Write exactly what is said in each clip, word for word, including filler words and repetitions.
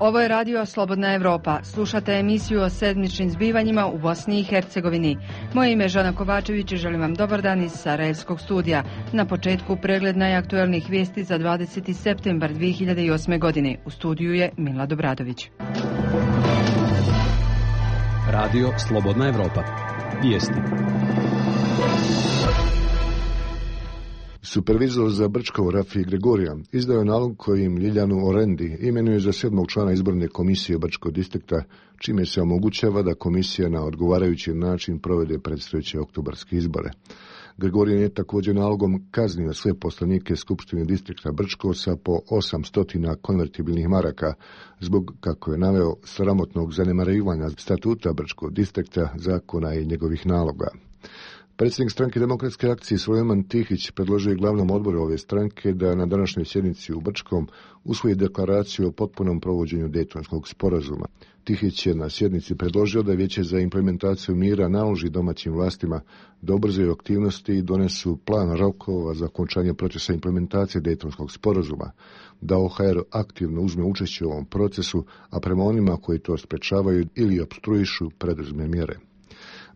Ovo je radio Slobodna Evropa. Slušate emisiju o sedmičnim zbivanjima u Bosni i Hercegovini. Moje ime je Žana Kovačević i želim vam dobar dan iz Sarajevskog studija. Na početku pregled najaktuelnijih vijesti za dvadeseti septembar dvije hiljade osme. godine. U studiju je Milad Obradović. Radio Slobodna Evropa. Vijesti. Supervizor za Brčko Rafi Gregorija izdao je nalog kojim Ljiljanu Orendi imenuje za sedmog člana izborne komisije Brčkog distrikta, čime se omogućava da komisija na odgovarajući način provede predstojeće oktobarske izbore. Gregorijan je također nalogom kaznio sve poslanike Skupštine distrikta Brčko sa po osamsto konvertibilnih maraka zbog, kako je naveo, sramotnog zanemarivanja statuta Brčkog distrikta, zakona i njegovih naloga. Predsjednik stranke Demokratske akcije Sulejman Tihić predložio je glavnom odboru ove stranke da na današnjoj sjednici u Brčkom usvoji deklaraciju o potpunom provođenju Dejtonskog sporazuma. Tihić je na sjednici predložio da Vijeće za implementaciju mira naloži domaćim vlastima da ubrzaju aktivnosti i donesu plan rokova za okončanje procesa implementacije Dejtonskog sporazuma, da O H R aktivno uzme učešće u ovom procesu, a prema onima koji to sprečavaju ili opstruišu preduzme mjere.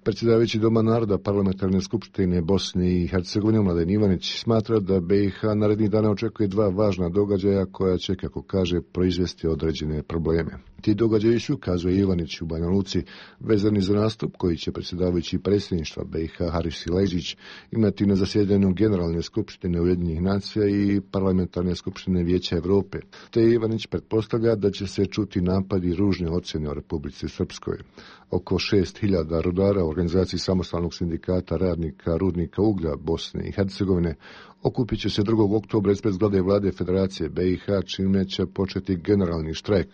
Predsjedavajući Doma naroda Parlamentarne skupštine Bosne i Hercegovine Mladen Ivanić smatra da B i H narednih dana očekuje dva važna događaja koja će, kako kaže, proizvesti određene probleme. Ti događaji su, kazuje Ivanić u Banja Luci, vezani za nastup koji će predsjedavajući predsjedništva B i H Haris Sileđić imati na zasjedanju Generalne skupštine Ujedinjenih nacija i Parlamentarne skupštine Vijeća Europe. Te Ivanić pretpostavlja da će se čuti napadi i ružne ocjene o Republici Srpskoj. Oko šest hiljada rudara u organizaciji samostalnog sindikata radnika rudnika uglja Bosne i Hercegovine okupit će se drugog oktobra ispred zgrade vlade Federacije B i H, čime će početi generalni štrajk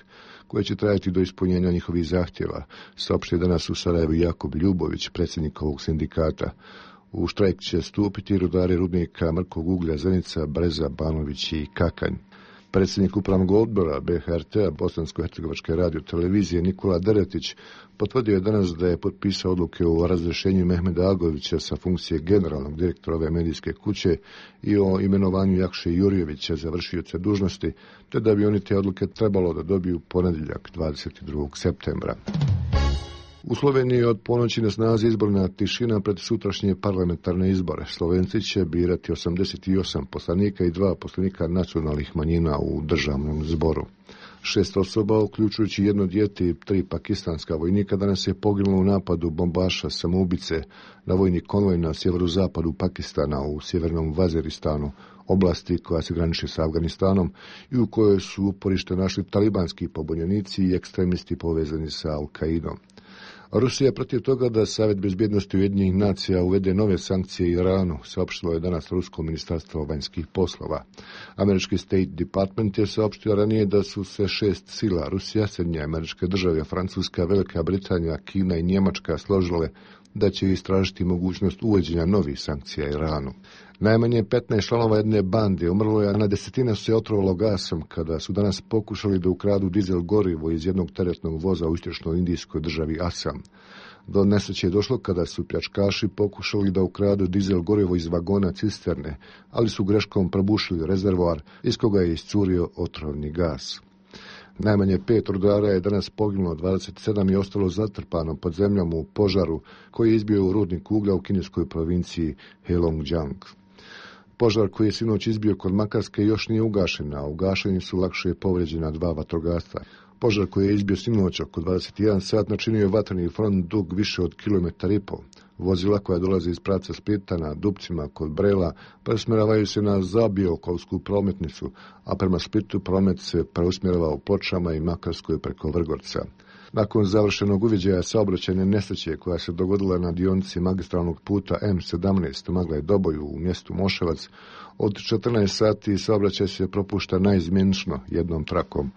koji će trajati do ispunjenja njihovih zahtjeva, saopštio danas u Sarajevu Jakub Ljubović, predsjednik ovog sindikata. U štrajk će stupiti rudari rudnika mrkog uglja Zenica, Breza, Banović i Kakanj. Predsjednik upravnog odbora B H R T-a Bosansko-hercegovačke radio televizije Nikola Deretić potvrdio je danas da je potpisao odluke o razrješenju Mehmeda Agovića sa funkcije generalnog direktora ove medijske kuće i o imenovanju Jakše Jurjevića za vršioca dužnosti, te da bi oni te odluke trebalo da dobiju ponedjeljak dvadeset drugog septembra. U Sloveniji od ponoći na snazi izborna tišina pred sutrašnje parlamentarne izbore. Slovenci će birati osamdeset osam poslanika i dva poslanika nacionalnih manjina u državnom zboru. Šest osoba, uključujući jedno dijete i tri pakistanska vojnika, danas je poginulo u napadu bombaša samoubice na vojni konvoj na sjeverozapadu Pakistana u sjevernom Vaziristanu, oblasti koja se graniči sa Afganistanom i u kojoj su uporište našli talibanski pobunjenici i ekstremisti povezani sa Al-Qaidom. Rusija je protiv toga da Savjet bezbjednosti Ujedinjenih nacija uvede nove sankcije Iranu, saopštilo je danas Rusko ministarstvo vanjskih poslova. Američki State Department je saopštio ranije da su se šest sila Rusija, Sjedinjene Američke Države, Francuska, Velika Britanija, Kina i Njemačka složile da će istražiti mogućnost uvođenja novih sankcija Iranu. Najmanje petnaest članova jedne bande umrlo je, a na desetina se otrovalo gasom kada su danas pokušali da ukradu dizel gorivo iz jednog teretnog voza u istočnoj indijskoj državi Asam. Do nesreće je došlo kada su pljačkaši pokušali da ukradu dizel gorivo iz vagona cisterne, ali su greškom probušili rezervoar iz koga je iscurio otrovni gas. Najmanje pet rudara je danas poginulo, dvadeset sedam je ostalo zatrpano pod zemljom u požaru koji je izbio u rudnik uglja u kineskoj provinciji Heilongjiang. Požar koji je sinoć izbio kod Makarske još nije ugašen, a u gašenju su lakše povrijeđena dva vatrogasca. Požar koji je izbio sinoć oko dvadeset jedan sat načinio je vatreni front dug više od kilometar i pol. Vozila koja dolaze iz pravca Splita na Dupcima kod Brela preusmjeravaju se na Zabiokovsku prometnicu, a prema Splitu promet se preusmjerava u Pločama i Makarskoj preko Vrgorca. Nakon završenog uviđaja saobraćajne nesreće koja se dogodila na dionici magistralnog puta M sedamnaest Maglaj Doboju u mjestu Moševac, od četrnaest sati saobraćaj se propušta naizmjenično jednom trakom.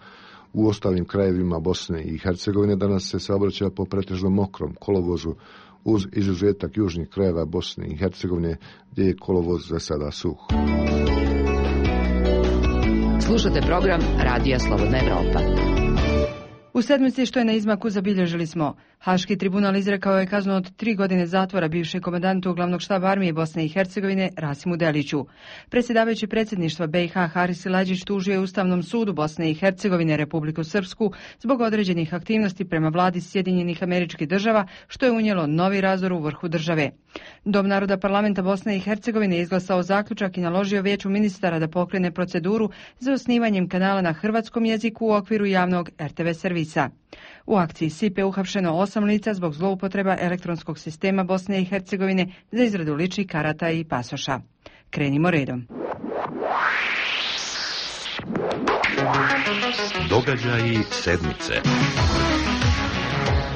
U ostalim krajevima Bosne i Hercegovine danas se saobraća po pretežno mokrom kolovozu, uz izuzetak južnih krajeva Bosne i Hercegovine gdje je kolovoz za sada suh. Slušate program Radija Slobodna Evropa. U sedmici što je na izmaku zabilježili smo. Haški tribunal izrekao je kaznu od tri godine zatvora bivšem komandantu glavnog štaba armije Bosne i Hercegovine Rasimu Deliću. Predsjedavajući predsjedništva B i H Haris Silađić tužio je Ustavnom sudu Bosne i Hercegovine Republiku Srpsku zbog određenih aktivnosti prema vladi Sjedinjenih Američkih Država, što je unijelo novi razdor u vrhu države. Dom naroda parlamenta Bosne i Hercegovine izglasao zaključak i naložio vijeću ministara da pokrene proceduru za osnivanjem kanala na hrvatskom jeziku u okviru javnog R T V servisa. U akciji S I P E uhapšeno osam lica zbog zloupotreba elektronskog sistema Bosne i Hercegovine za izradu ličnih karata i pasoša. Krenimo redom. Događaji sedmice.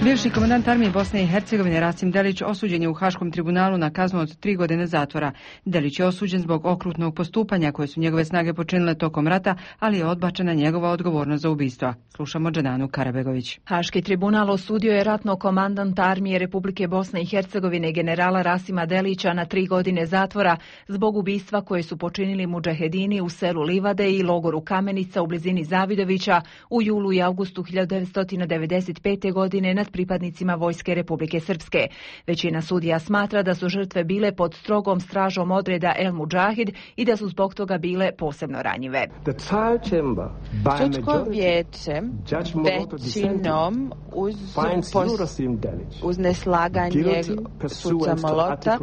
Bivši komandant armije Bosne i Hercegovine Rasim Delić osuđen je u Haškom tribunalu na kaznu od tri godine zatvora. Delić je osuđen zbog okrutnog postupanja koje su njegove snage počinile tokom rata, ali je odbačena njegova odgovornost za ubistva. Slušamo Džananu Karabegović. Haški tribunal osudio je ratnog komandanta armije Republike Bosne i Hercegovine generala Rasima Delića na tri godine zatvora zbog ubistva koje su počinili mudžahedini u selu Livade i logoru Kamenica u blizini Zavidovića u julu i avgustu hiljadu devetsto devedeset pete. godine nad pripadnicima Vojske Republike Srpske. Većina sudija smatra da su žrtve bile pod strogom stražom odreda El Mudžahid i da su zbog toga bile posebno ranjive. Sudsko vijeće većinom uz, pos, uz neslaganje suca Molota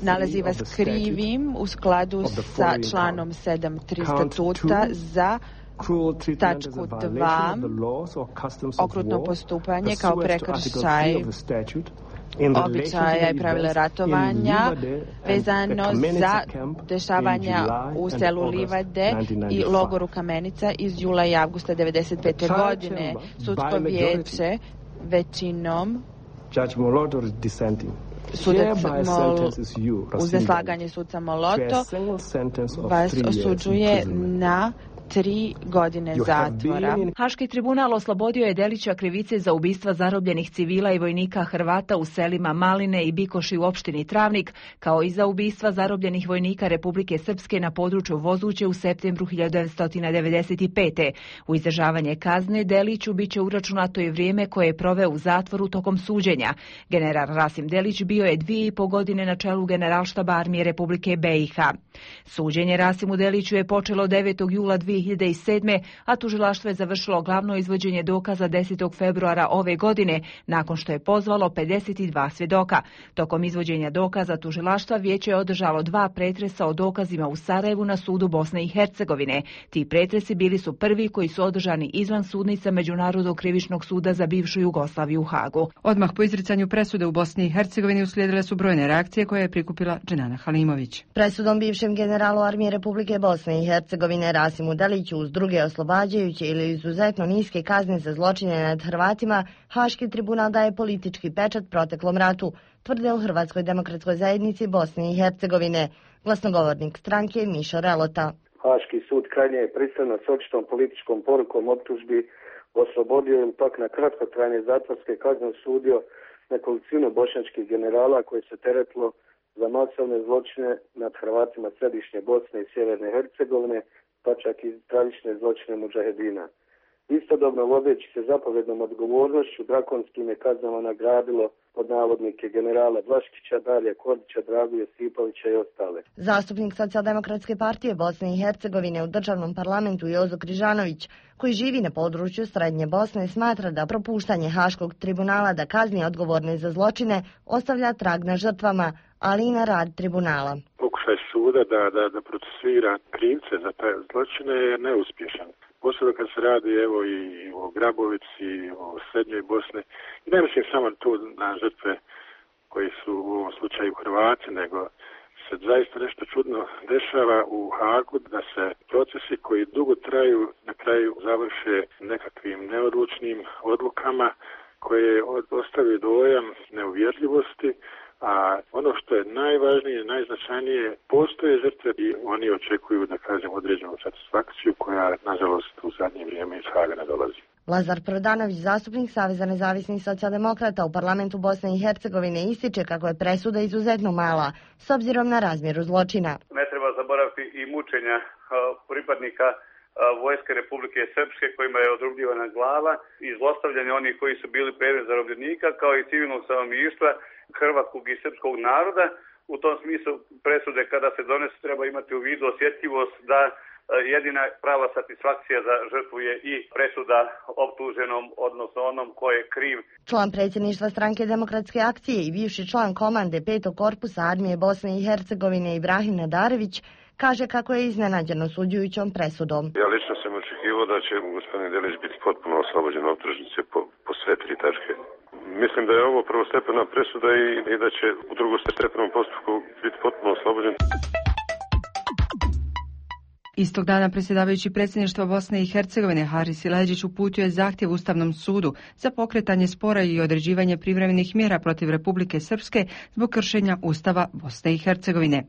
nalazi vas krivim u skladu sa članom sedam tri statuta za tačku dva okrutno postupanje kao prekršaj običaja i pravila ratovanja vezano za dešavanja u selu Livade i logoru Kamenica iz jula i avgusta devedeset pete. godine. Sudsko vijeće većinom sudac Mol, uz neslaganje suca Moloto vas osuđuje na tri godine zatvora. Haški tribunal oslobodio je Delića krivice za ubistva zarobljenih civila i vojnika Hrvata u selima Maline i Bikoši u opštini Travnik, kao i za ubistva zarobljenih vojnika Republike Srpske na području Vozuće u septembru hiljadu devetsto devedeset pete. U izdržavanje kazne Deliću biće uračunato i vrijeme koje je proveo u zatvoru tokom suđenja. General Rasim Delić bio je dvije i po godine na čelu Generalštaba armije Republike B i H. Suđenje Rasimu Deliću je počelo devetog jula dvije hiljade sedme. a tužilaštvo je završilo glavno izvođenje dokaza desetog februara ove godine, nakon što je pozvalo pedeset dva svjedoka. Tokom izvođenja dokaza tužilaštva vijeće je održalo dva pretresa o dokazima u Sarajevu na sudu Bosne i Hercegovine. Ti pretresi bili su prvi koji su održani izvan sudnica Međunarodnog krivičnog suda za bivšu Jugoslaviju u Hagu. Odmah po izricanju presude u Bosni i Hercegovini uslijedile su brojne reakcije koje je prikupila Dženana Halimović. Presudom bivšem generalu armije Republike Bosne i Hercegovine Rasimu Deliću uz druge oslobađajuće ili izuzetno niske kazne za zločine nad Hrvatima, Haški tribunal daje politički pečat proteklom ratu, tvrde u Hrvatskoj demokratskoj zajednici Bosne i Hercegovine. Glasnogovornik stranke Mišo Relota. Haški sud krajnje je pristrano s očitom političkom porukom optužbi oslobodio ili pak na kratkotrajne zatvorske kazne osudio nekolicinu bošnjačkih generala koji se teretilo za masovne zločine nad Hrvatima središnje Bosne i sjeverne Hercegovine, pa čak i tragične zločine mudžahedina. Istodobno vodeći se zapovjednom odgovornošću drakonskim je kaznama nagradilo pod navodnike generala Vlaškića, Darija Kordića, Dragu Josipovića i ostale. Zastupnik Socijaldemokratske partije Bosne i Hercegovine u državnom parlamentu Jozo Križanović, koji živi na području Srednje Bosne, smatra da propuštanje Haškog tribunala da kazni odgovorne za zločine ostavlja trag na žrtvama, ali i na rad tribunala. Pokušaj suda da, da, da procesuira krivce za te zločine je neuspješan. Posebno kad se radi evo i o Grabovici, o Srednjoj Bosni. I ne mislim samo tu na žrtve koji su u ovom slučaju Hrvati, nego se zaista nešto čudno dešava u Hagu, da se procesi koji dugo traju na kraju završe nekakvim neodlučnim odlukama koje ostavaju dojam neuvjerljivosti. A ono što je najvažnije, najznačajnije, postoje žrtve i oni očekuju, da kažem, određenu satisfakciju koja, nažalost, u zadnje vrijeme iz Haga ne dolazi. Lazar Prodanović, zastupnik Saveza nezavisnih socijaldemokrata u parlamentu Bosne i Hercegovine, ističe kako je presuda izuzetno mala, s obzirom na razmjeru zločina. Ne treba zaboraviti i mučenja pripadnika vojske Republike Srpske kojima je odrubljivana glava i zlostavljanje onih koji su bili predmet zarobljenika, kao i civilnog stanovništva hrvatskog i srpskog naroda. U tom smislu presude kada se donesu treba imati u vidu osjetljivost da jedina prava satisfakcija za žrtvu je i presuda optuženom, odnosno onom ko je kriv. Član predsjedništva Stranke demokratske akcije i bivši član komande petog korpusa armije Bosne i Hercegovine Ibrahim Nadarević kaže kako je iznenađen osuđujućom presudom. Ja lično sam očekivao da će gospodin Delić biti potpuno oslobođen optužnice po, po sve tri tačke. Mislim da je ovo prvostepena presuda i, i da će u drugostepenom postupku biti potpuno oslobođen. Istog dana predsjedavajući predsjedništva Bosne i Hercegovine Haris Silajdžić uputio je zahtjev Ustavnom sudu za pokretanje spora i određivanje privremenih mjera protiv Republike Srpske zbog kršenja Ustava Bosne i Hercegovine.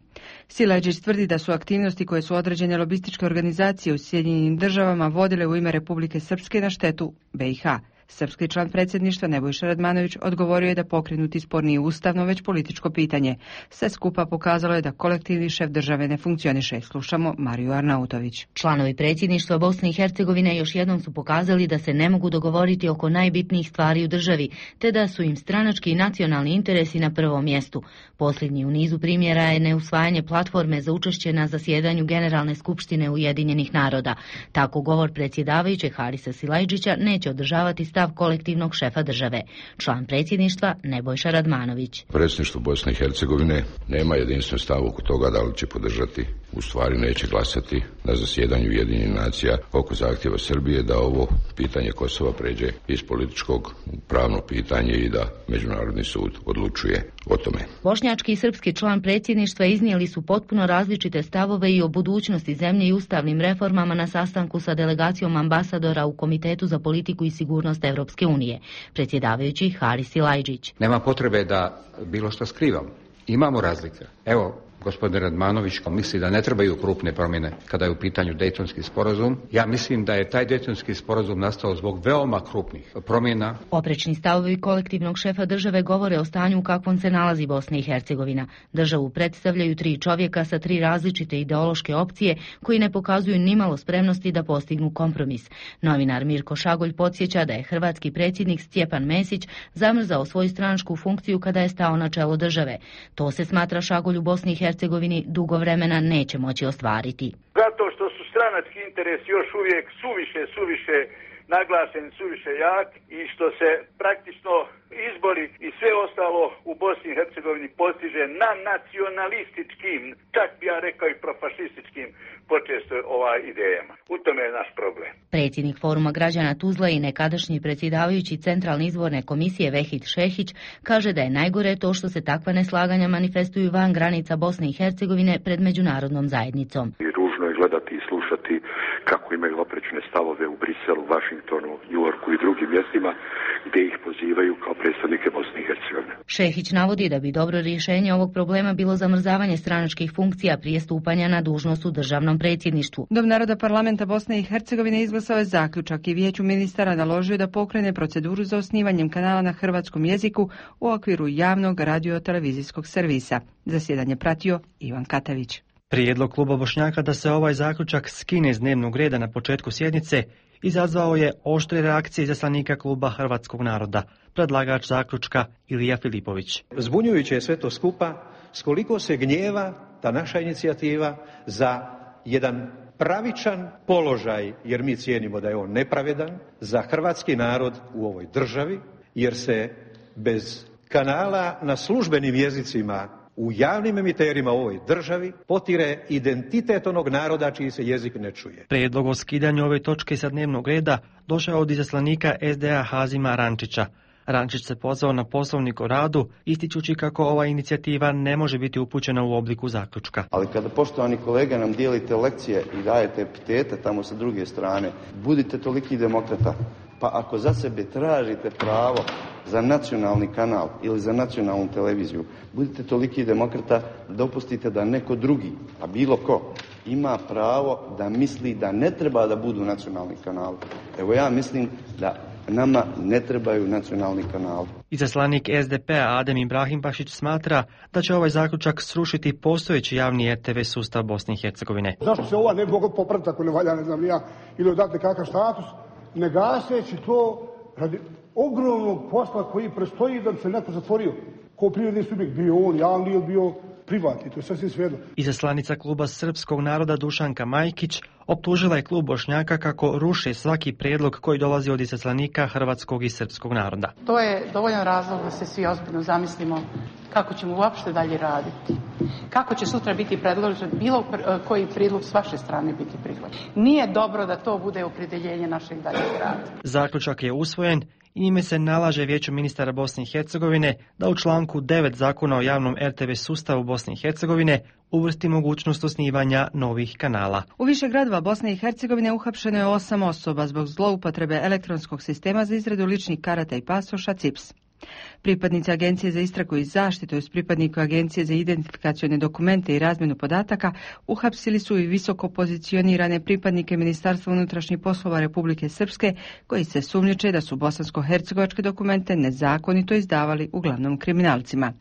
Silajdžić tvrdi da su aktivnosti koje su određene lobističke organizacije u Sjedinjenim državama vodile u ime Republike Srpske na štetu B i H. Srpski član predsjedništva Nebojša Radmanović odgovorio je da pokrenuti spor nije ustavno, već političko pitanje. Sve skupa pokazalo je da kolektivni šef države ne funkcioniše. Slušamo Mariju Arnautović. Članovi predsjedništva Bosne i Hercegovine još jednom su pokazali da se ne mogu dogovoriti oko najbitnijih stvari u državi, te da su im stranački i nacionalni interesi na prvom mjestu. Posljednji u nizu primjera je neusvajanje platforme za učešće na zasjedanju Generalne skupštine Ujedinjenih naroda. Tako govor predsjedavajućeg Harisa Silajdžića neće održavati stav kolektivnog šefa države. Član predsjedništva Nebojša Radmanović. Predsjedništvo Bosne i Hercegovine nema jedinstven stav oko toga da li će podržati, u stvari neće glasati na zasjedanju Ujedinjenih nacija oko zahtjeva Srbije da ovo pitanje Kosova pređe iz političkog u pravno pitanje i da Međunarodni sud odlučuje o tome. Bošnjački i srpski član predsjedništva iznijeli su potpuno različite stavove i o budućnosti zemlje i ustavnim reformama na sastanku sa delegacijom ambasadora u Komitetu za politiku i sigurnost Evropske unije, predsjedavajući Haris Silajdžić. Nema potrebe da bilo što skrivam. Imamo razlike. Evo, gospodin Radmanović misli da ne trebaju krupne promjene kada je u pitanju Dejtonski sporazum. Ja mislim da je taj Dejtonski sporazum nastao zbog veoma krupnih promjena. Oprečni stavovi kolektivnog šefa države govore o stanju u kakvom se nalazi Bosna i Hercegovina. Državu predstavljaju tri čovjeka sa tri različite ideološke opcije koji ne pokazuju nimalo spremnosti da postignu kompromis. Novinar Mirko Šagolj podsjeća da je hrvatski predsjednik Stjepan Mesić zamrzao svoju stranačku funkciju kada je stao na čelo države. To se smatra Šagolj u Bosni i Hercegovini dugo vremena neće moći ostvariti. Zato što su stranački interesi još uvijek suviše, suviše naglašen, suviše jak i što se praktično izbori i sve ostalo u Bosni i Hercegovini postiže na nacionalističkim, čak bi ja rekao i profašističkim počesto ovaj idejama. U tome je naš problem. Predsjednik Foruma građana Tuzla i nekadašnji predsjedavajući Centralne izborne komisije Vehid Šehić kaže da je najgore to što se takva neslaganja manifestuju van granica Bosne i Hercegovine pred međunarodnom zajednicom. I ružno je gledati i slušati kako imaju oprečne stavove u Briselu, Vašingtonu, Njujorku i drugim mjestima gdje ih pozivaju kao predstavnike Bosne i Hercegovine. Šehić navodi da bi dobro rješenje ovog problema bilo zamrzavanje stranačkih funkcija prije stupanja na dužnost u državnom predsjedništvu. Dom naroda parlamenta Bosne i Hercegovine izglasao je zaključak i vijeću ministara naložio da pokrene proceduru za osnivanjem kanala na hrvatskom jeziku u okviru javnog radio-televizijskog servisa. Zasjedanje pratio Ivan Katavić. Prijedlog kluba Bošnjaka da se ovaj zaključak skine iz dnevnog reda na početku sjednice izazvao je oštre reakcije izaslanika kluba Hrvatskog naroda, predlagač zaključka Ilija Filipović. Zbunjujuće je sve to skupa, s koliko se gnjeva ta naša inicijativa za jedan pravičan položaj, jer mi cijenimo da je on nepravedan, za hrvatski narod u ovoj državi, jer se bez kanala na službenim jezicima u javnim emiterima u ovoj državi potire identitet onog naroda čiji se jezik ne čuje. Prijedlog o skidanju ove točke sa dnevnog reda došao od izaslanika es de a Hazima Rančića. Rančić se pozvao na poslovnik o radu, ističući kako ova inicijativa ne može biti upućena u obliku zaključka. Ali kada, poštovani kolega, nam dijelite lekcije i dajete epitete tamo sa druge strane, budite toliki demokrata. Pa ako za sebe tražite pravo za nacionalni kanal ili za nacionalnu televiziju, budite toliki demokrata da dopustite da neko drugi, a bilo ko, ima pravo da misli da ne treba da budu nacionalni kanali. Evo ja mislim da Nama ne trebaju nacionalni kanali. Izaslanik es de pe-a Adem Ibrahimbašić smatra da će ovaj zaključak srušiti postojeći javni er te ve sustav Bosne i Hercegovine. Zašto se ova ne bi mogla popraviti ako ne valja, ne znam ja, ili odati kakav status, ne gaseći to radi ogromnog posla koji prestoji da bi se neko zatvorio. Ko privredni subjekt, bio on javni ili bio privatni, to je sasvim svejedno. Izaslanica kluba Srpskog naroda Dušanka Majkić optužila je klub Bošnjaka kako ruše svaki prijedlog koji dolazi od izaslanika hrvatskog i srpskog naroda. To je dovoljan razlog da se svi ozbiljno zamislimo kako ćemo uopšte dalje raditi. Kako će sutra biti predložen bilo koji prijedlog s vaše strane biti prihvaćen. Nije dobro da to bude opredjeljenje našeg daljeg rada. Zaključak je usvojen i njime se nalaže Vijeću ministara Bosne i Hercegovine da u članku devet Zakona o javnom er te ve sustavu Bosne i Hercegovine uvrsti mogućnost osnivanja novih kanala. U više gradova Bosne i Hercegovine uhapšeno je osam osoba zbog zloupotrebe elektronskog sistema za izradu ličnih karata i pasoša C I P S. Pripadnici Agencije za istragu i zaštitu uz pripadnika Agencije za identifikacione dokumente i razmjenu podataka uhapsili su i visoko pozicionirane pripadnike Ministarstva unutrašnjih poslova Republike Srpske koji se sumnjiče da su bosansko-hercegovačke dokumente nezakonito izdavali uglavnom kriminalcima.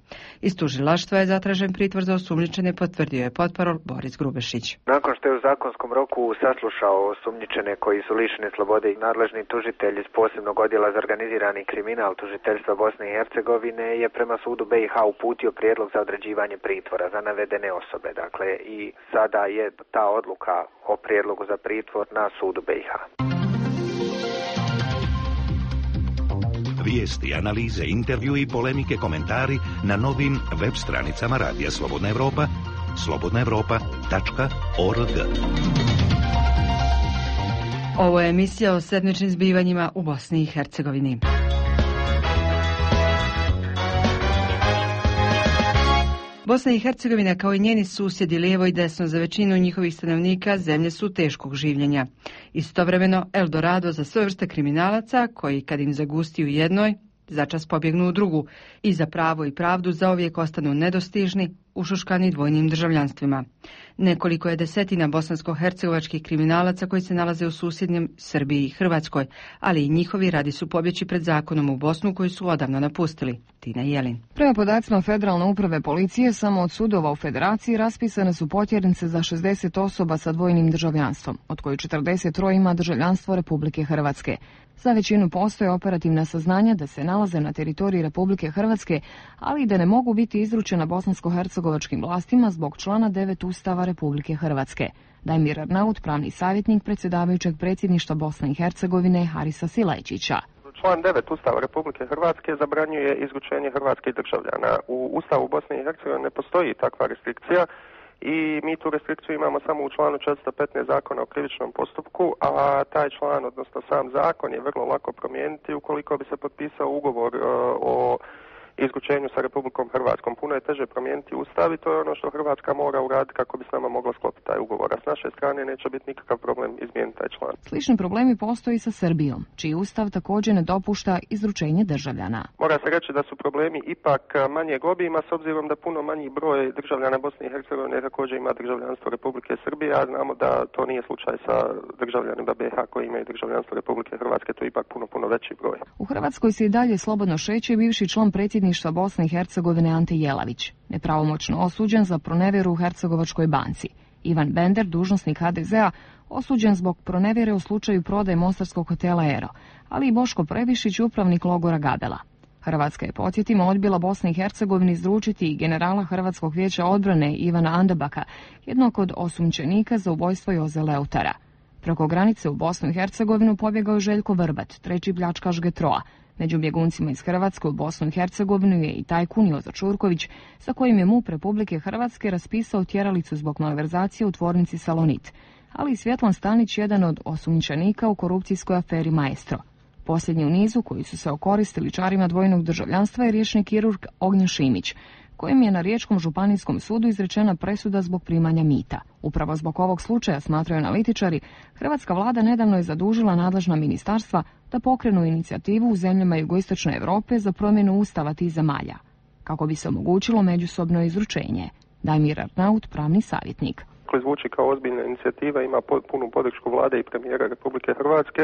Iz tužilaštva je zatražen pritvor za osumnjičene, potvrdio je potparol Boris Grubešić. Nakon što je u zakonskom roku saslušao osumnjičene koji su lišeni slobode i nadležni tužitelj iz posebnog odjela za organizirani kriminal tužiteljstva Bosne i Hercegovine je prema sudu be i ha uputio prijedlog za određivanje pritvora za navedene osobe. Dakle, i sada je ta odluka o prijedlogu za pritvor na sudu be i ha. Vijesti, analize, intervju i polemike, komentari na novim web stranicama Radija Slobodna Evropa, slobodna evropa tačka org. Ovo je emisija o sedmičnim zbivanjima u Bosni i Hercegovini. Bosna i Hercegovina kao i njeni susjedi lijevo i desno za većinu njihovih stanovnika zemlje su teškog življenja. Istovremeno Eldorado za sve vrste kriminalaca koji kad im zagusti u jednoj, začas pobjegnu u drugu i za pravo i pravdu zauvijek ostanu nedostižni, ušuškani dvojnim državljanstvima. Nekoliko je desetina bosansko-hercegovačkih kriminalaca koji se nalaze u susjednjem Srbiji i Hrvatskoj, ali i njihovi radi su pobjeći pred zakonom u Bosnu koji su odavno napustili. Tina Jelin. Prema podacima Federalne uprave policije, samo od sudova u Federaciji raspisane su potjernice za šezdeset osoba sa dvojnim državljanstvom, od kojih četrdeset tri ima državljanstvo Republike Hrvatske. Za većinu postoje operativna saznanja da se nalaze na teritoriji Republike Hrvatske, ali i da ne mogu biti izručena bosansko-hercegovačkim vlastima zbog člana devet Ustava Republike Hrvatske. Dajmir Arnaut, pravni savjetnik predsjedavajućeg predsjedništva Bosne i Hercegovine Harisa Silajčića. Član devet Ustava Republike Hrvatske zabranjuje izručenje hrvatskih državljana. U Ustavu Bosne i Hercegovine ne postoji takva restrikcija i mi tu restrikciju imamo samo u članu četiristo petnaest Zakona o krivičnom postupku, a taj član, odnosno sam zakon, je vrlo lako promijeniti ukoliko bi se potpisao ugovor uh, o izručenju sa Republikom Hrvatskom. Puno je teže promijeniti Ustav i to je ono što Hrvatska mora uraditi kako bi s nama mogla sklopiti taj ugovor. A s naše strane neće biti nikakav problem izmijeniti taj član. Slični problemi postoji sa Srbijom, čiji Ustav također ne dopušta izručenje državljana. Mora se reći da su problemi ipak manjeg obima s obzirom da puno manji broj državljana Bosne i Hercegovine također ima državljanstvo Republike Srbije, a znamo da to nije slučaj sa državljanima be i ha koji imaju državljanstvo Republike Hrvatske, to je ipak puno, puno veći broj. U Hrvatskoj se i dalje slobodno šeće bivši član predsjedništva Bosne i Hercegovine Ante Jelavić, nepravomoćno osuđen za pronevjeru u Hercegovačkoj banci. Ivan Bender, dužnosnik ha de zea, osuđen zbog pronevjere u slučaju prodaje mostarskog hotela Ero, ali i Boško Previšić, upravnik logora Gabela. Hrvatska je, podsjetimo, odbila Bosni i Hercegovini izručiti i generala Hrvatskog vijeća odbrane Ivana Andabaka, jednog od osumnjičenika za ubojstvo Joze Leutara. Preko granice u Bosnu i Hercegovinu pobjegao je Željko Vrbat, treći pljačkaš Getroa. Među bjeguncima iz Hrvatske u Bosnu i Hercegovinu je i tajkun Jozo Čurković, sa kojim je MUP Republike Hrvatske raspisao tjeralicu zbog malverzacije u tvornici Salonit, ali i Svjetlan Stanić, jedan od osumnjičenika u korupcijskoj aferi Maestro. Posljednji u nizu koji su se okoristili čarima dvojnog državljanstva je riječni kirurg Ognjen Šimić, kojim je na Riječkom županijskom sudu izrečena presuda zbog primanja mita. Upravo zbog ovog slučaja, smatraju analitičari, hrvatska vlada nedavno je zadužila nadležna ministarstva da pokrenu inicijativu u zemljama jugoistočne Europe za promjenu ustava tih zemalja, kako bi se omogućilo međusobno izručenje. Dajmir Arnaut, pravni savjetnik. Zvuči kao ozbiljna inicijativa, ima punu podršku vlade i premijera Republike Hrvatske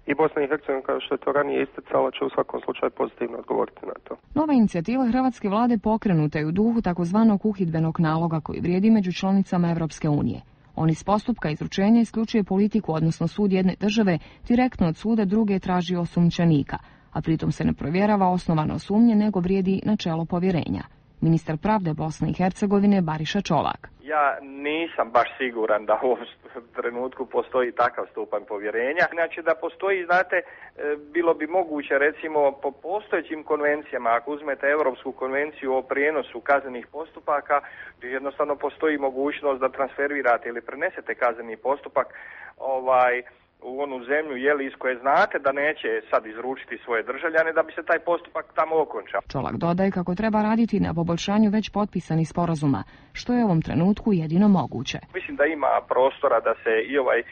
i Bosna i Hercegovina, kao što je to ranije isticala, će u svakom slučaju pozitivno odgovoriti na to. Nova inicijativa hrvatske vlade pokrenuta je u duhu takozvanog uhidbenog naloga koji vrijedi među članicama Europske unije. On iz postupka izručenja isključuje politiku, odnosno sud jedne države, direktno od suda druge traži osumnjičenika, a pritom se ne provjerava osnovano sumnje, nego vrijedi načelo povjerenja. Ministar pravde Bosne i Hercegovine Bariša Čolak. Ja nisam baš siguran da u ovom trenutku postoji takav stupanj povjerenja. Znači da postoji, znate, bilo bi moguće recimo po postojećim konvencijama, ako uzmete Europsku konvenciju o prijenosu kaznenih postupaka, jednostavno postoji mogućnost da transferirate ili prenesete kazneni postupak ovaj, u onu zemlju jeli, iz koje znate da neće sad izručiti svoje državljane da bi se taj postupak tamo okončao. Čolak dodaje kako treba raditi na poboljšanju već potpisanih sporazuma, što je u ovom trenutku jedino moguće. Mislim da ima prostora da se i ovaj, e,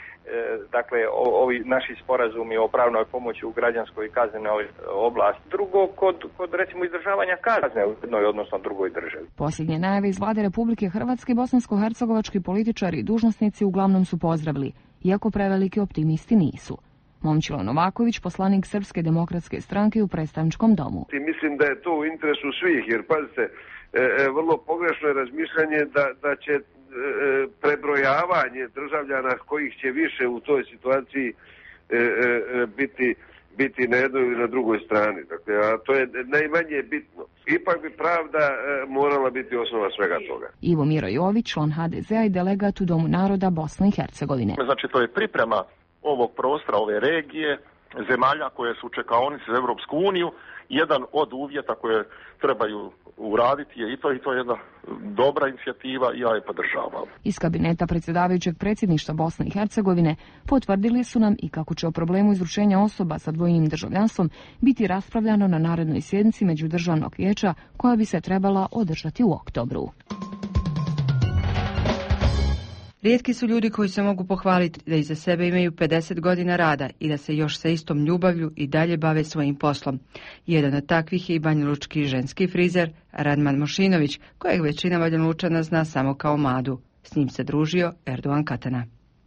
dakle, o, ovi naši sporazumi o pravnoj pomoći u građanskoj i kaznenoj oblasti. Drugo, kod, kod recimo izdržavanja kazne u jednoj, odnosno drugoj državi. Posljednje najave iz vlade Republike Hrvatske bosansko-hercegovački političari i dužnosnici uglavnom su pozdravili, iako preveliki optimisti nisu. Momčilo Novaković, poslanik Srpske demokratske stranke u predstavničkom domu. Mislim da je to u interesu svih, jer pazite, e, e, vrlo pogrešno je razmišljanje da, da će e, prebrojavanje državljana kojih će više u toj situaciji e, e, biti, biti na jednoj ili na drugoj strani. Dakle, a to je najmanje bitno. Ipak bi pravda e, morala biti osnova svega toga. Ivo Miro Jović, član ha de zea i delegat u Domu naroda Bosne i Hercegovine. Znači, to je priprema ovog prostora, ove regije, zemalja koje su čekaonice za Europsku uniju. Jedan od uvjeta koje trebaju uraditi je i to, i to je jedna dobra inicijativa i ja je podržavam. Iz kabineta predsjedavajućeg predsjedništva Bosne i Hercegovine potvrdili su nam i kako će o problemu izručenja osoba sa dvojnim državljanstvom biti raspravljano na narednoj sjednici Međudržavnog vijeća koja bi se trebala održati u oktobru. Rijetki su ljudi koji se mogu pohvaliti da iza sebe imaju pedeset godina rada i da se još sa istom ljubavlju i dalje bave svojim poslom. Jedan od takvih je i banjalučki ženski frizer Radman Mošinović, kojeg većina Banjalučana zna samo kao Madu. S njim se družio Erdogan Katana.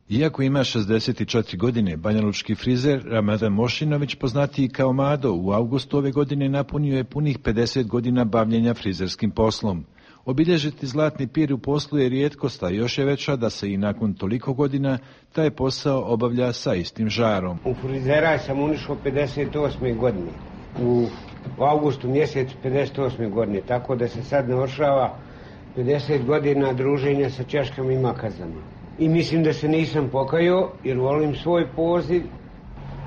Iako ima šezdeset četiri godine, banjalučki frizer Ramadan Mošinović, poznatiji kao Mado, u avgustu ove godine napunio je punih pedeset godina bavljenja frizerskim poslom. Obilježiti zlatni pir u poslu je rijetkost, a još je veća da se i nakon toliko godina taj posao obavlja sa istim žarom. U frizera sam unišao pedeset osme godine, u, u avgustu mjesecu pedeset osme godine, tako da se sad navršava pedeset godina druženja sa češkama i makazama. I mislim da se nisam pokajao jer volim svoj poziv.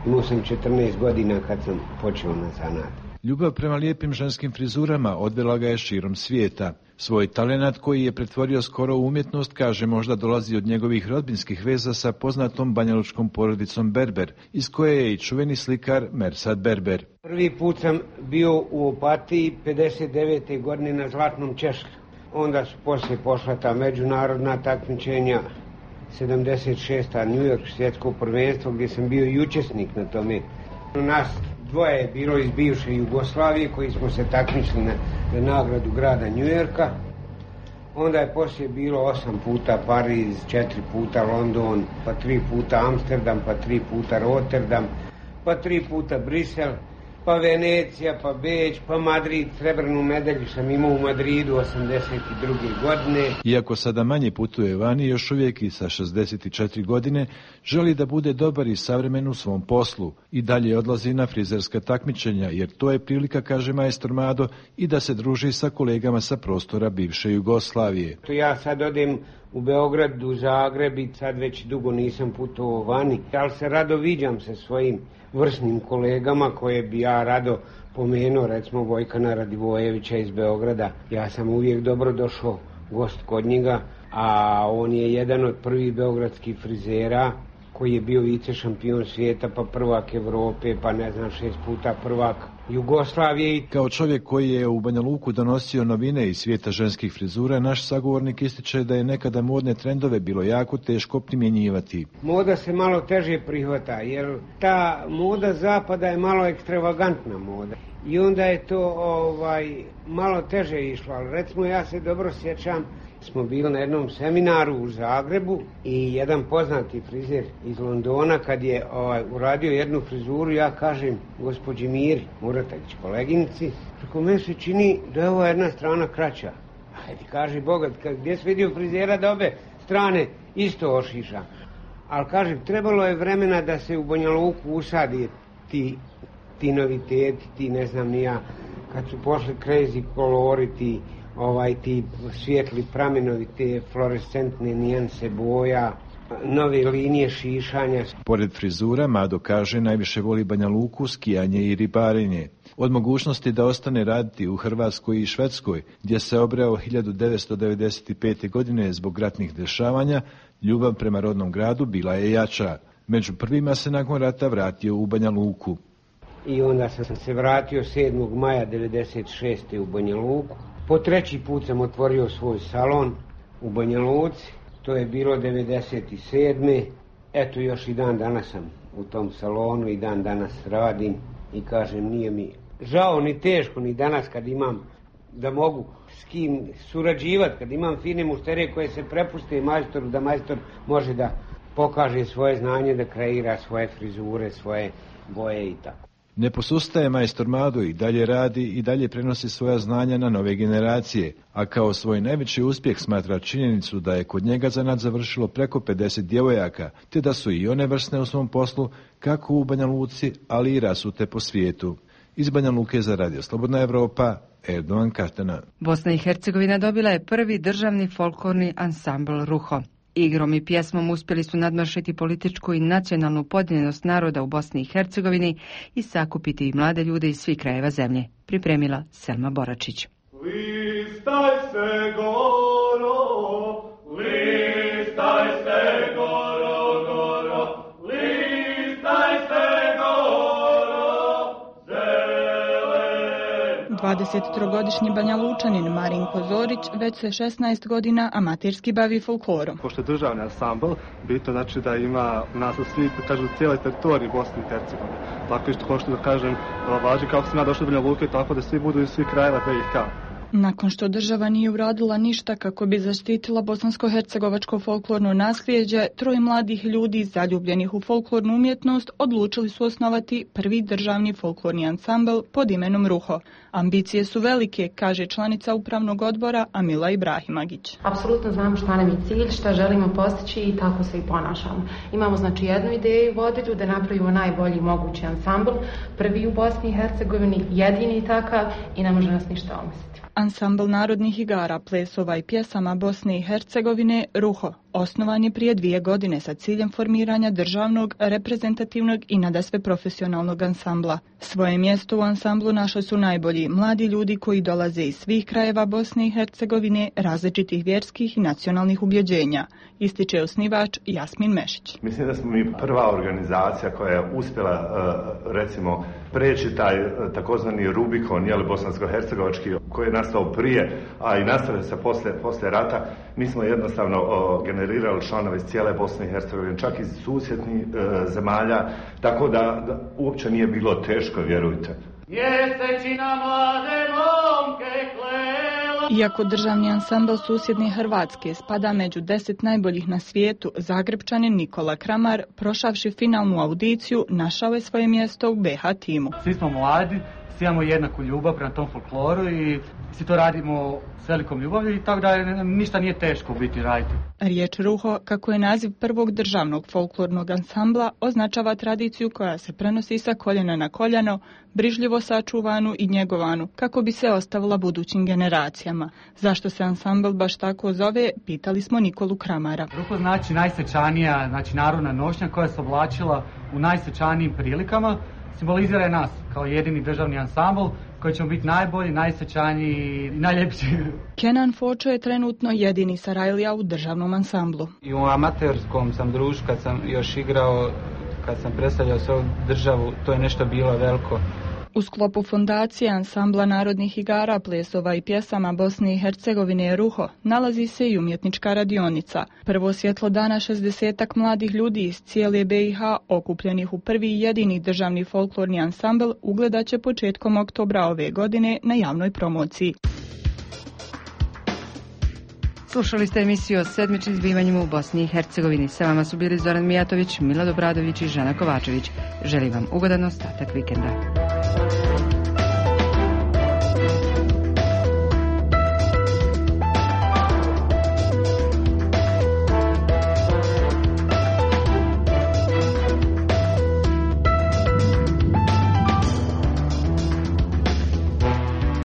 Imao sam četrnaest godina kad sam počeo na zanat. Ljubav prema lijepim ženskim frizurama odvela ga je širom svijeta. Svoj talenat koji je pretvorio skoro u umjetnost, kaže, možda dolazi od njegovih rodbinskih veza sa poznatom banjalučkom porodicom Berber, iz koje je i čuveni slikar Mersad Berber. Prvi put sam bio u Opatiji pedeset devete godine na Zlatnom Češlju. Onda su poslije pošla ta međunarodna takmičenja, sedamdeset šesta New York svjetsko prvenstvo gdje sam bio i učesnik na tome. Nas dvoje je bilo iz bivše Jugoslavije koji smo se takmičili na, na nagradu grada New Yorka. Onda je poslije bilo osam puta Pariz, četiri puta London, pa tri puta Amsterdam, pa tri puta Rotterdam, pa tri puta Brisel, pa Venecija, pa Beč, pa Madrid. Srebrnu medalju sam imao u Madridu osamdeset druge godine. Iako sada manje putuje vani, još uvijek i sa šezdeset četiri godine želi da bude dobar i savremen u svom poslu. I dalje odlazi na frizerska takmičenja, jer to je prilika, kaže majstor Mado, i da se druži sa kolegama sa prostora bivše Jugoslavije. Ja sad odem u Beograd, u Zagreb i sad već dugo nisam putovao vani, ali se rado viđam sa svojim vrsnim kolegama koje bi ja rado pomenuo, recimo Vojkana Radivojevića iz Beograda. Ja sam uvijek dobro došao gost kod njega, a on je jedan od prvih beogradskih frizera koji je bio vice šampion svijeta, pa prvak Evrope, pa ne znam, šest puta prvak Jugoslavije. Kao čovjek koji je u Banja Luku donosio novine iz svijeta ženskih frizura, naš sagovornik ističe da je nekada modne trendove bilo jako teško primjenjivati. Moda se malo teže prihvata, jer ta moda zapada je malo ekstravagantna moda. I onda je to ovaj malo teže išlo, ali recimo ja se dobro sjećam smo bili na jednom seminaru u Zagrebu i jedan poznati frizer iz Londona kad je ovaj, uradio jednu frizuru, ja kažem gospođi Miri Muratagić, koleginici, tako meni se čini da je ova jedna strana kraća. Ajde, kaže Bogat, gdje si vidio frizera da obe strane isto ošiša. Ali kažem, trebalo je vremena da se u Banja Luku usadi ti, ti noviteti, ti ne znam ni ja, kad su pošli crazy kolori, ti, ovaj, ti svijetli pramenovi, te fluorescentne nijanse boja, nove linije šišanja. Pored frizura, Mado kaže najviše voli Banja Luku, skijanje i ribarenje. Od mogućnosti da ostane raditi u Hrvatskoj i Švedskoj, gdje se obreo hiljadu devetsto devedeset pete. godine zbog ratnih dešavanja, ljubav prema rodnom gradu bila je jača. Među prvima se nakon rata vratio u Banja Luku. I onda sam se vratio sedmog maja devedeset šeste. u Banja Luku. Po treći put sam otvorio svoj salon u Banja Luci. To je bilo devedeset sedme. Eto, još i dan danas sam u tom salonu i dan danas radim. I kažem, nije mi žao ni teško ni danas kad imam da mogu s kim surađivati, kad imam fine mušterije koje se prepuste majstoru, da majstor može da pokaže svoje znanje, da kreira svoje frizure, svoje boje i tako. Ne posustaje majstor Mado i dalje radi i dalje prenosi svoja znanja na nove generacije, a kao svoj najveći uspjeh smatra činjenicu da je kod njega zanat završilo preko pedeset djevojaka, te da su i one vrsne u svom poslu, kako u Banja Luci, ali i rasute po svijetu. Iz Banja Luke za Radio Slobodna Evropa, Erdovan Katana. Bosna i Hercegovina dobila je prvi državni folklorni ansambl Ruho. Igrom i pjesmom uspjeli su nadmašiti političku i nacionalnu podijeljenost naroda u Bosni i Hercegovini i sakupiti mlade ljude iz svih krajeva zemlje. Pripremila Selma Boračić. Listaj se goro, listaj se goro, goro, listaj se goro, zelen. dvadesettrogodišnji Banja Lučanin Marinko Zorić već se šesnaest godina amaterski bavi folklorom. Pošto je državni ansambl, bitno znači da ima nas u svi, kažu, cijele teritorije Bosne i Hercegovine. Tako isto hoću da kažem, važi kako sam ja došao do Banja Luke, tako da svi budu iz svih krajeva B i H. Nakon što država nije uradila ništa kako bi zaštitila bosansko-hercegovačko folklorno nasljeđe, troje mladih ljudi zaljubljenih u folklornu umjetnost odlučili su osnovati prvi državni folklorni ansambl pod imenom Ruho. Ambicije su velike, kaže članica upravnog odbora Amila Ibrahimagić. Apsolutno znamo šta nam je cilj, šta želimo postići i tako se i ponašamo. Imamo znači jednu ideju vodilju da napravimo najbolji mogući ansambl, prvi u Bosni i Hercegovini, jedini takav i ne može nas ništa omestiti. Ansambl narodnih igara, plesova i pjesama Bosne i Hercegovine Ruho osnovan je prije dvije godine sa ciljem formiranja državnog, reprezentativnog i nadasve profesionalnog ansambla. Svoje mjesto u ansamblu našli su najbolji mladi ljudi koji dolaze iz svih krajeva Bosne i Hercegovine, različitih vjerskih i nacionalnih ubjeđenja, ističe osnivač Jasmin Mešić. Mislim da smo mi prva organizacija koja je uspjela recimo preći taj takozvani Rubikon, jel, bosansko-hercegovački, koji je nastao prije, a i nastavio se posle, posle rata. Mi smo jednostavno o, generirali članove iz cijele Bosne i Hercegovine, čak iz susjednih e, zemalja, tako da, da uopće nije bilo teško, vjerujte. Mjesečina mlade momke klela. Iako državni ansambl susjedne Hrvatske spada među deset najboljih na svijetu, Zagrebčanin Nikola Kramar, prošavši finalnu audiciju, našao je svoje mjesto u B H timu. Svi smo mladi, svi imamo jednaku ljubav prema tom folkloru i svi to radimo s velikom ljubavi i tako da ništa nije teško biti raditi. Riječ Ruho, kako je naziv prvog državnog folklornog ansambla, označava tradiciju koja se prenosi sa koljena na koljeno, brižljivo sačuvanu i njegovanu, kako bi se ostavila budućim generacijama. Zašto se ansambl baš tako zove, pitali smo Nikolu Kramara. Ruho znači najsvečanija, znači narodna nošnja koja se oblačila u najsvečanijim prilikama, simbolizira je nas kao jedini državni ansambl koji ćemo biti najbolji, najsvečaniji i najljepši. Kenan Fočo je trenutno jedini Sarajlija u državnom ansamblu. I u amaterskom sam društvu, kad sam još igrao, kad sam predstavljao svoju državu, to je nešto bilo veliko. U sklopu fondacije ansambla narodnih igara, plesova i pjesama Bosne i Hercegovine Ruho nalazi se i umjetnička radionica. Prvo svjetlo dana šezdesetak mladih ljudi iz cijele B i H okupljenih u prvi i jedini državni folklorni ansambl ugledat će početkom oktobra ove godine na javnoj promociji. Slušali ste emisiju o sedmičnim zbivanjima u Bosni i Hercegovini. Sa vama su bili Zoran Mijatović, Milad Obradović i Žana Kovačević. Želim vam ugodan ostatak vikenda.